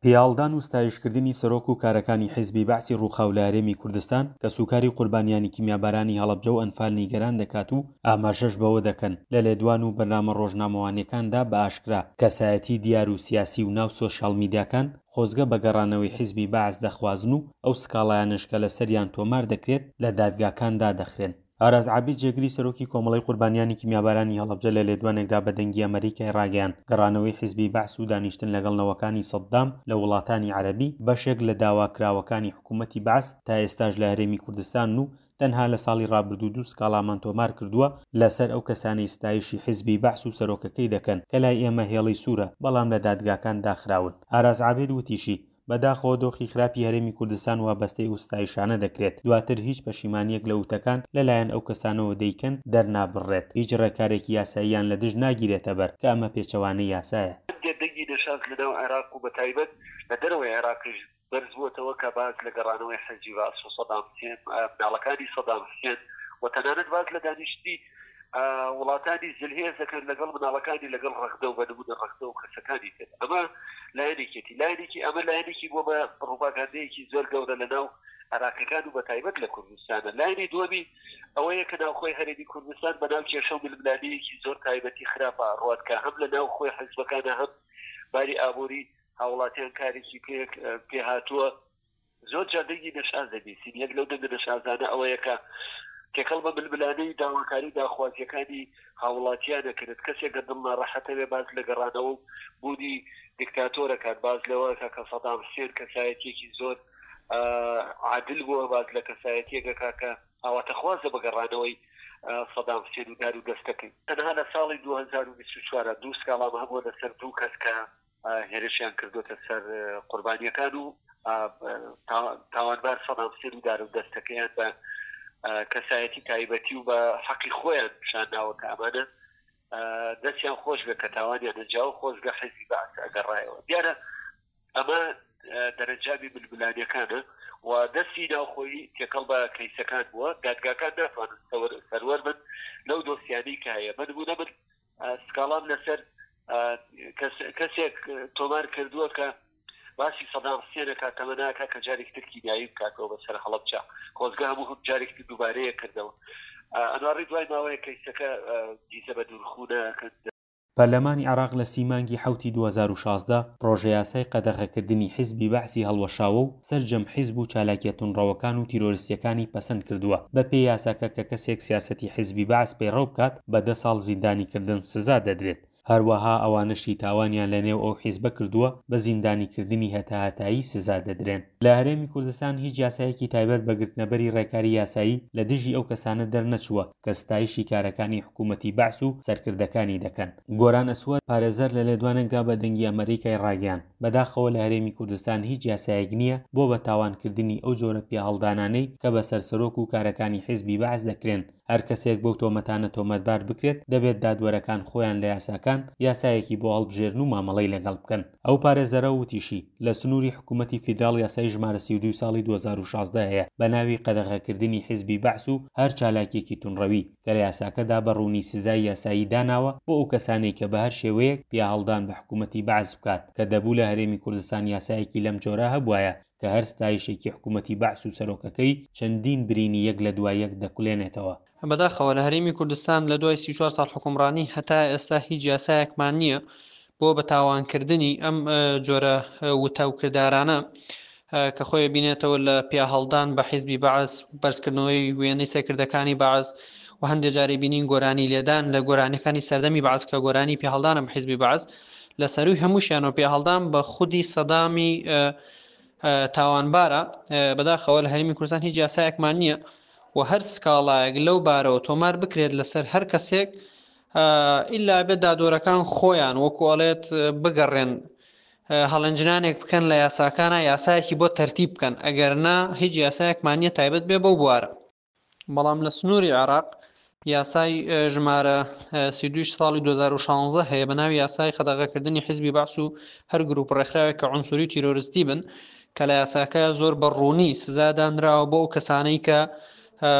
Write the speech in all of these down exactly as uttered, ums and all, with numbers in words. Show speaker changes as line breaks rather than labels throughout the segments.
پیاهەڵدان و ستایشکردنی سەرۆک و کارەکانی حیزبی بەعسی ڕووخاو لە هەرێمی کوردستان، کەسوکاری قوربانیانی کیمیابارانی هەڵەبجە و ئەنفال نیگەران دەکات و ئاماژەش بەوە دەکەن، لە لێدوان و بەرنامە ڕۆژنامەوانییەکاندا بە ئاشکرا، کەسایەتی دیار و سیاسی و ناو سۆشیاڵ میدیاکان خۆزگە بە گەڕانەوەی حیزبی بەعس دەخوازن و ئەو سکاڵایانەش کە لەسەریان تۆمار دەکرێت لە دادگاکان دادەخرێن. ئاراس عابید جێگری سەرۆکی کۆمەڵەی قوربانیانی کیمیابارانی هەڵەبجە لە لێدوانێکدا بە دەنگی ئەمەریکای ڕاگەیاند، گەڕانەوەی حیزبی بەعس و دانیشتن لەگەڵ نەوەکانی سەددام لە وڵاتانی عەرەبی بەشێک لە داواکراوەکانی حکوومەتی بەعس تا ئێستاش لە هەرێمی کوردستانن و تەنها لە ساڵی ڕابردوو دوو سکاڵامان تۆمار کردووە لەسەر ئەو کەسانەی ستایشی حیزبی بەعس و سەرۆکەکەی دەکەن کە لای ئێمە هێڵی سوورە بەڵام لە دادگاکان داخراون. ئاراس عابید وتیشی، بەداخەوە دۆخی خراپی هەرێمی کوردستان وابەستەی ئەو ستایشانە دەکرێت، دواتر هیچ پەشیمانییەک لە وتەکان لەلایەن ئەو کەسانەوە دەیکەن دەرنابڕرێت، هیچ ڕێکارێکی یاساییان لە دژ ناگیرێتەبەر کە ئەمە پێچەوانەی یاسایە.
هەندێک دەنگی نەشاز لەناو عێراق و بەتایبەت لە دەرەوەی عێراقیش بەرزبووەتەوە کە باس لە گەڕانەوەی حیزبی بەعس و سەدام حوسێن، مناڵەکانی سەدام حوسێن و تەنانەت باس لە دانیشتنی وڵاتانی زلهێز دەکەن لەگەڵ مناڵەکانی، لەگەڵ ڕەغدە و بە نمونە ڕەغدە و کەسەکانی تر. ئەمە لایەنێکێتی، لایەنێکی ئەمە لایەنێکی بۆ بە ڕوپاگاندەیەکی زۆر گەورە لە ناو عێراقیەکان و بە تایبەت لە کوردستانە. لایەنی دووەمی ئەوەیە کە ناوخۆی هەرێمی کوردستان بە ناو کێشە و ململانێیەکی زۆر تایبەتی خراپە ڕوات کە هەم لە ناو خۆی حزبەکانە هەم باری ئابووری هاوڵاتیان کارێکی پێ هاتووە. زۆر جار دەنگی نەشاز دەبیستین، یەک لەو دەنگە نەشازانە ئەوەیە کە تێکەڵ بە ململانێی داواکاری و داخوازییەکانی هاوڵاتیان ئەکرێت. کەسێک گەر دڵ ناڕەحەتەوێ باس لە گەڕانەوە و بوونی دیکتاتۆرەکان، باس لەوە ئەکا کە سەدام حسێن کەسایەتیەکی زۆر عادل بووە، باس لە کەسایەتیەک ئەکا کە ئاواتەخوازە بە گەڕانەوەی سەدام حسێن و دار و دەستەکەی. تەنها لە ساڵی دوو هەزار و بیست و چوار دوو سکاڵام هەبووە لەسەر دوو کەس کە هێرشیان کردووەتە سەر قوربانییەکان و تاوانبار سەدام حسێن و دار و دەستەکەیان بە کەسایەتی تایبەتی و بە حەقی خۆیان پیشان داوە کە ئەمانە دەستیان خۆش بێت کە تاوانیان ئەنجاوە، خۆزگە حیزبی بەعس ئەگەڕایەوە. دیارە ئەمە دەرەنجامی ململانێکانە و دەستی ناوخۆیی تێکەڵ بە کەیسەکان بووە. دادگاکان ناتوانن سەروەر بن لەو دۆسیانەی کە هەیە. بە نموونە من سکاڵام لەسەر کەسێک تۆمار کردووە کە باسی سەدام حسێن ئەکات، تەمەنا ئەکات کە جارێکی تر کیمیایی بکاتەوە بەسەر هەڵەبجە. خۆزگە هەموو هەم جارێکی تر دووبارەیە کردەوە. ئەنواڕی دوای ماوەیە کەیسەکە دیزە بە دوورخوونە کرد.
پەرلەمانی عێراق لە سی مانگی حەوتی دوو هەزار و شازدە پڕۆژەیاسای قەدەغەکردنی حیزبی بەعسی هەڵوەشاوە و سەرجەم حیزب و چالاکیە توندڕەوەکان و تیرۆرستیەکانی پەسەند کردووە. بەپێی یاساکە کە کەسێک سیاسەتی حیزبی بەعس پەیڕەو بکات بە دە ساڵ زیندانیکردن سزا دەدرێت. هەروەها ئەوانەشی تاوانیان لەنێو ئەو حیزبە کردووە بە زیندانیکردنی هەتاهەتایی سزا دەدرێن. لە هەرێمی کوردستان هیچ یاسایەکی تایبەت بە گرتنەبەری ڕێکاری یاسایی لە دژی ئەو کەسانە دەرنەچووە کە ستایشی کارەکانی حکوومەتی بەعس و سەرکردەکانی دەکەن. گۆران ئەسوەد، پارێزەر لە لێدوانێکدا بە دەنگی ئەمەریکای ڕاگەیاند، بەداخەوە لە هەرێمی کوردستان هیچ یاسایەک نییە بۆ بە تاوانکردنی ئەو جۆرە پیاهەڵدانانەی کە بەسەر سەرۆک و کارەکانی حیزبی بەعس دەکرێن. هەر کەسێک بەو تۆمەتانە تۆمەتبار بکرێت دەبێت دادوەرەکان خۆیان لە یاساکان یاسایەکی بۆ هەڵبژێرن و مامەڵەی لەگەڵ بکەن. ئەو پارێزەرە وتیشی، لە سنووری حکوومەتی فیدراڵ یاسای ژمارە سی و دوو ساڵی دوو هەزار و شازدە هەیە بە ناوی قەدەغەکردنی حیزبی بەعس و هەر چالاکیەکی توندڕەوی کە لە یاساکەدا بە ڕوونی سزای یاسایی داناوە بۆ ئەو کەسانەی کە بە هەر شێوەیەک پیاهەڵدان بە حکوومەتی بەعس بکات کە دەبوو لە هەرێمی کوردستان یاسایەکی لەم جۆرە هەبوایە کە هەر ستایشێکی حکوومەتی بەعس و سەرۆکەکەی چەندین برینی یەک لە دوای یەک دەکولێنێتەوە.
بەداخەوە لە هەرێمی کوردستان لە دوای سی و چوار ساڵ حوکمڕانی هەتا ئێستا هیچ یاسایەکمان نییە بۆ بە تاوانکردنی ئەم جۆرە وتە و کردارانە کە خۆی بینێتەوە لە پیاهەڵدان بە حیزبی بەعس، بەرزکردنەوەی وێنەی سەرکردەکانی بەعس و هەندێک جاری بینین گۆرانی لێدان لە گۆرانیەکانی سەردەمی بەعس کە گۆرانی پیاهەڵدانە بە حیزبی بەعس، لە سەروی هەمووشیانەوە پیاهەڵدان بە خودی سەدامی تاوانبارە. بەداخەوە لە هەرێمی کوردستان هیچ یاسایەکمان نییە و هەر سکاڵایەک لەو بارەوە تۆمار بکرێت لەسەر هەر کەسێک ئیلا بێت دادوەرەکان خۆیان وەکو ئەڵێت بگەڕێن هەڵەنجنانێک بکەن لە یاساکانە، یاسایەکی بۆ تەرتیب بکەن، ئەگەر نا هیچ یاسایەکمان نییە تایبەت بێ بەو بوارە. بەڵام لە سنووری عێراق یاسای ژمارە سی و دوو ساڵی دوو هەزار و شازدە هەیە بە ناوی یاسای قەدەغەکردنی حیزبی بەعس و هەر گروپ ڕێکخراوێک کە عنسوری و تیرۆریستی بن، کە لە یاساکە زۆر بە ڕوونی سزا دانراوە بۆ ئەو کەسانەی کە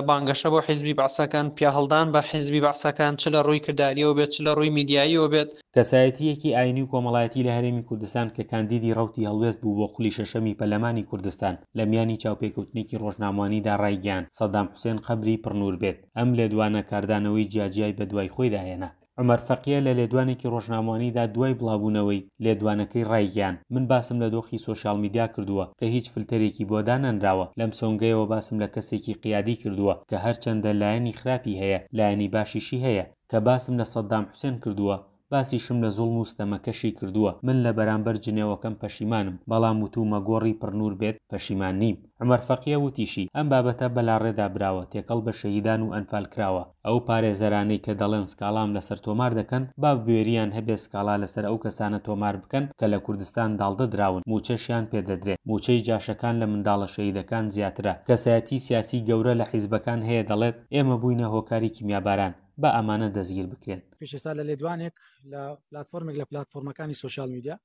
بانگەشە بۆ حیزبی بەعسەکان، پیاهەڵدان بە حیزبی بەعسەکان، چ لە ڕووی کرداریەوە بێت چ لە ڕووی میدیاییەوە بێت.
کەسایەتییەکی ئاینی و کۆمەڵایەتی لە هەرێمی کوردستان کە کاندیدی ڕەوتی هەڵوێست بوو بۆ خولی شەشەمی پەرلەمانی کوردستان، لە میانی چاوپێکەوتنێکی ڕۆژنامەوانیدا ڕایگەیاند، سەدام حوسێن قەبری پڕنوور بێت. ئەم لێدوانە کاردانەوەی جیاجیای بەدوای خۆیدا هێنا. عومەر فەقیە لە لێدوانێکی ڕۆژنامەوانیدا دوای بڵاوبوونەوەی لێدوانەکەی ڕایگەیاند، من باسم لە دۆخی سۆشیال میدیا کردووە کە هیچ فلتەرێکی بۆ دانەنراوە، لەم سۆنگەیەوە باسم لە کەسێکی قیادی کردووە کە هەرچەندە لایەنی خراپی هەیە لایەنی باشیشی هەیە، کە باسم لە سەدام حوسێن کردووە باسیشم لە زوڵم و ستەمەکەشی کردووە، من لە بەرامبەر جنێوەکەم پەشیمانم، بەڵام وتوومە گۆڕی پڕنوور بێت پەشیمان نیم. عومەر فەقیە وتیشی، ئەم بابەتە بەلاڕێدا براوە، تێکەڵ بە شەهیدان و ئەنفال کراوە، ئەو پارێزەرانەی کە دەڵێن سکاڵام لەسەر تۆمار دەکەن، با بوێرییان هەبێ سکاڵا لەسەر ئەو کەسانە تۆمار بکەن کە لە کوردستان داڵدە دراون، مووچەشیان پێ دەدرێت، مووچەی جاشەکان لە منداڵە شەهیدەکان زیاترە. کەسایەتی سیاسی گەورە لە حیزبەکان هەیە دەڵێت، ئێمە بووینە هۆکاری کیمیاباران، با ئەمانە دەستگیر بکرێن.
پێش ئێستا لە لێدوانێک لە پلاتفۆرمێک لە پلاتفۆرمەکانی سۆشیال میدیا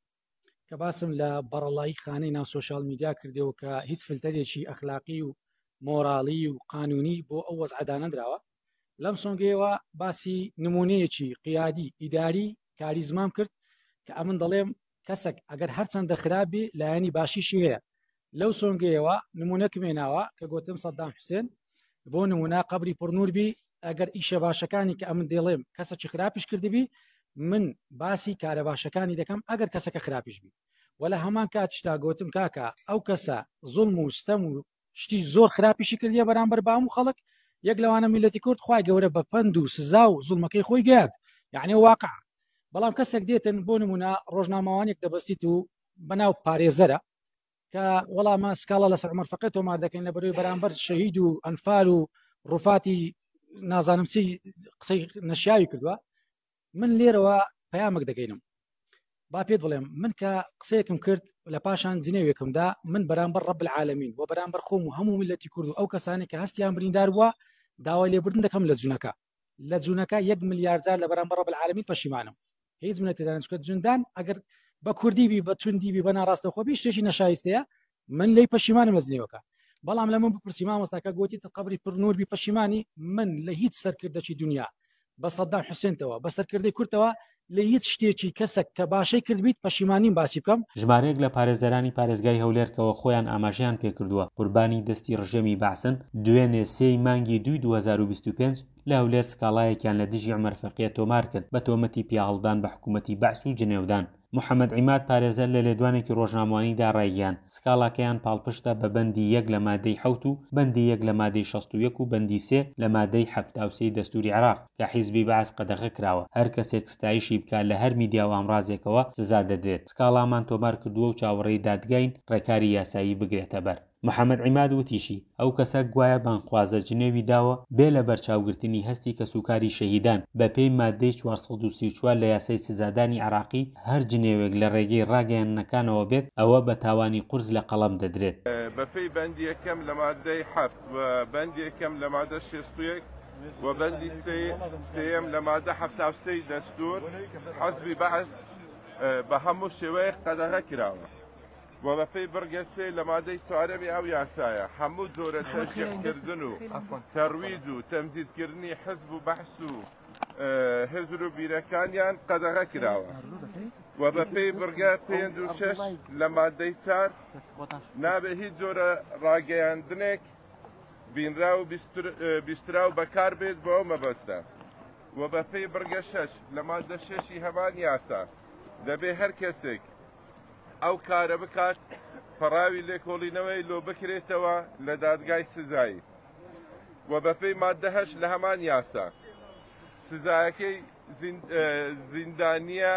کە باسم لە بەڕەڵایی خانەی ناو سۆشیال میدیا کردەوە کە هیچ فلتەرێکی ئەخلاقی و مۆرالی و قانونی بۆ ئەو وەزعە دانەنراوە، لەم سۆنگەیەوە باسی نمونەیەکی قیادی ئیداری کاریزمام کرد کە ئەمن دەڵێم کەسێک ئەگەر هەرچەندە خراپی لایەنی باشیشی هەیە. لەو سۆنگەیەوە نمونەکم هێناوە کە گوتم سەدام حوسێن بۆ نمونە قەبری پڕنوور بی، ئەگەر ئیشە باشەکانی کە ئەمن دەڵێم کەسێکی خراپیش کردبی من باسی کارە باشەکانی دەکەم ئەگەر کەسەکە خراپیش بی. وە لە هەمان کاتیشدا گوتم کاکە ئەو کەسە زوڵم و ستەم و شتی زۆر خراپیشی کردیە بەرامبەر بە هەموو خەڵک، یەک لەوانە میلەتی کورد خوای گەورە بە پەند و سزا و زوڵمەکەی خۆی گەیاند، یعنی واقع. بەڵام کەسێک دێتن بۆ نمونە ڕۆژنامەوانێک دەبەستیت و بەناو پارێزەرە کە وەڵامە سکاڵا لەسەر عومەر فەقێ تۆمار دەکەین لە بەرەوەی بەرامبەر شەهید و ئەنفال و ڕوفاتی نازانم چی قسەی نەشیاوی کردووە. من لێرەوە پەیامێک دەگەینم، با پێت بڵێم من کە قسەیەکم کرد لە پاشان جنێوێکمدا من بەرامبەر ڕەب العالمین و بەرامبەر خۆم و هەموو میلەتی کورد و ئەو کەسانی کە هەستیان بریندار بووە داوای لێبوردن دەکەم لە جونەکە. لە جونەکە یەک ملیارد جار لە بەرامبەر ڕەب العالمین پەشیمانم. هیچ منەتی دانە چونکە جوندان ئەگەر بە کوردی بی بە توندی بی بە ناڕاستەخۆ بی شتێکی نەشایستەیە، من لی پەشیمانم لە جنێوەکە. بەڵام لە من بپرسی مامۆستاکە گوتی قەبری پڕنوور بی پەشیمانی، من لە هیچ سەرکردەکی دنیا بە سەدام حوسێنتەوە بە سەرکردەی کوردەوە لە هیچ شتێکی کەسێک کە باشەی کردبیت پەشیمانیم باسی بکەم.
ژمارەیەک لە پارێزەرانی پارێزگای هەولێرکەوە خۆیان ئاماژەیان پێکردووە قوربانی دەستی ڕژێمی بەعسن دوێنێ سێی مانگی دووی دوو هەزار و بیست و پێنج لە هەولێر سکاڵایەکیان لە دژی عومەر فەقیە تۆمار کرد بە تۆمەتی پیاهەڵدان بە حکوومەتی بەعس و جنێودان. محەممەد عیماد پارێزەر لە لێدوانێکی ڕۆژنامەوانیدا ڕایگەیاند سکاڵاکەیان پاڵپشتە بە بەندی یەک لە مادەی حەوت و بەندی یەک لە مادەی شەست و یەک و بەندی سێ لە مادەی حەفتا و سێی دەستوری عێراق کە حیزبی بەعس قەدەغە کراوە، هەر کەسێک ستایشی بکات لە هەر میدیا و ئامرازێکەوە سزا دەدرێت. سکاڵامان تۆمار کردووە و چاوەڕێی دادگاین ڕێکاری یاسایی بگرێتە بەر. محەممەد عیماد وتیشی ئەو کەسە گوایە بانخوازە جنێوی داوە بێ لە بەرچاوگرتنی هەستی کەسوکاری شەهیدان بە پێی مادەی چوار سەد و سی و چوار لە یاسای سزادانی عراقی هەر جنێوێک لە ڕێگەی ڕاگەیاندنەکانەوە بێت ئەوە بە تاوانی قورس لە قەڵەم دەدرێت.
بە پێی بەندی یەکەم لە مادەی حەفت و بەندی یەکەم لە مادە شەست و یەک و بەندی سێیەم لە مادە حەفتا و سێی دەستور حەزبی بەعس بە هەموو شێوەیەک قەدەغە کراوە و بە پێی بڕگە سێ لە مادەی چوارەمی ئەو یاسایە هەموو جۆرە تەشجیعکردن و تەرویج و تەمجیدکردنی حزب و بەحس و هزر و بیرەکانیان قەدەغە کراوە و بە پێی بڕگە پێنج و شەش لە مادەی چار نابێ هیچ جۆرە ڕاگەیاندنێک بینرا و بیسترا و بەکار بێت بۆ ئەو مەبەستە و بە پێی بڕگە شەش لە مادە شەشی هەمان یاسا دەبێ هەر کەسێک ئەو کارە بکات پەڕاوی لێکۆڵینەوەی لۆ بکرێتەوە لە دادگای سزایی و بە پێی مادە هەشت لە هەمان یاسا سزایەکەی زیندانیە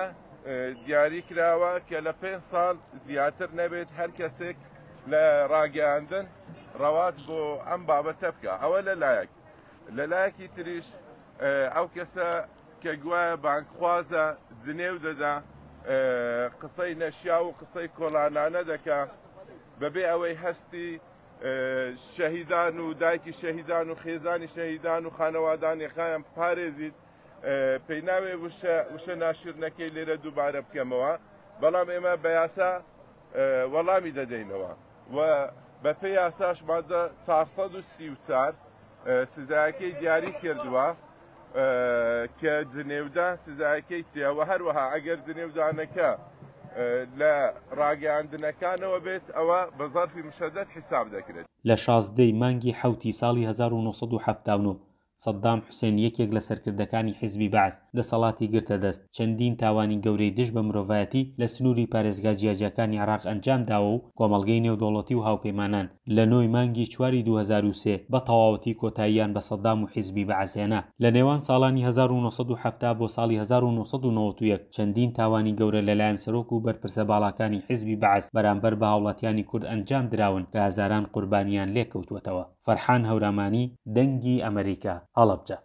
دیاری کراوە کە لە پێنج ساڵ زیاتر نەبێت هەر کەسێک لە ڕاگەیاندن ڕەوات بۆ ئەم بابەتە بکە. ئەوە لەلایەک، لەلایەکی تریش ئەو کەسە کە گوایە بانکخوازە جنێو دەدا قسەی نەشیا و قسەی کۆڵانانە دەکا بەبێ ئەوەی هەستی شەهیدان و دایکی شەهیدان و خێزانی شەهیدان و خانەوادانیەکانیان پارێزیت، پێیناوێ وشە ناشرنەکەی لێرە دووبارە بکەمەوە، بەڵام ئێمە بە یاسا وەڵامی دەدەینەوە و بە پێی یاساش مادە چوار سەد و سی و چوار سزایەکەی دیاری کردووە کە جنێودان سزایەکەی چییە و هەروەها ئەگەر جنێودانەکە لە ڕاگەیاندنەکانەوە بێت ئەوە بە زەرفی مشەدەد حیساب دەکرێت.
لە شازدە ی مانگی حەوتی ساڵی هەزار و نۆ سەد و حەفتا و نۆ سەدام حوسێن یەکێک لە سەرکردەکانی حیزبی بەعس دەسەڵاتی گرتە دەست، چەندین تاوانی گەورەی دژ بە مرۆڤایەتی لە سنووری پارێزگا جیاجیاکانی عێراق ئەنجام داوە و کۆمەڵگەی نێودەوڵەتی و هاوپەیمانان لە نۆ ی مانگی چواری دوو هەزار و سێ بە تەواوەتی کۆتاییان بە سەدام و حیزبی بەعس هێنا. لە نێوان ساڵانی هەزار و نۆ سەد و حەفتا بۆ ساڵی هەزار و نۆ سەد و نەوەد و یەک چەندین تاوانی گەورە لەلایەن سەرۆک و بەرپرسە باڵاکانی حیزبی بەعس بەرامبەر بە هاوڵاتیانی کورد ئەنجام دراون کە هەزاران قوربانیان لێکەوتووەتەوە. فەرحان هەورامانی، دەنگی ئەمەریکا، هەڵەبجە.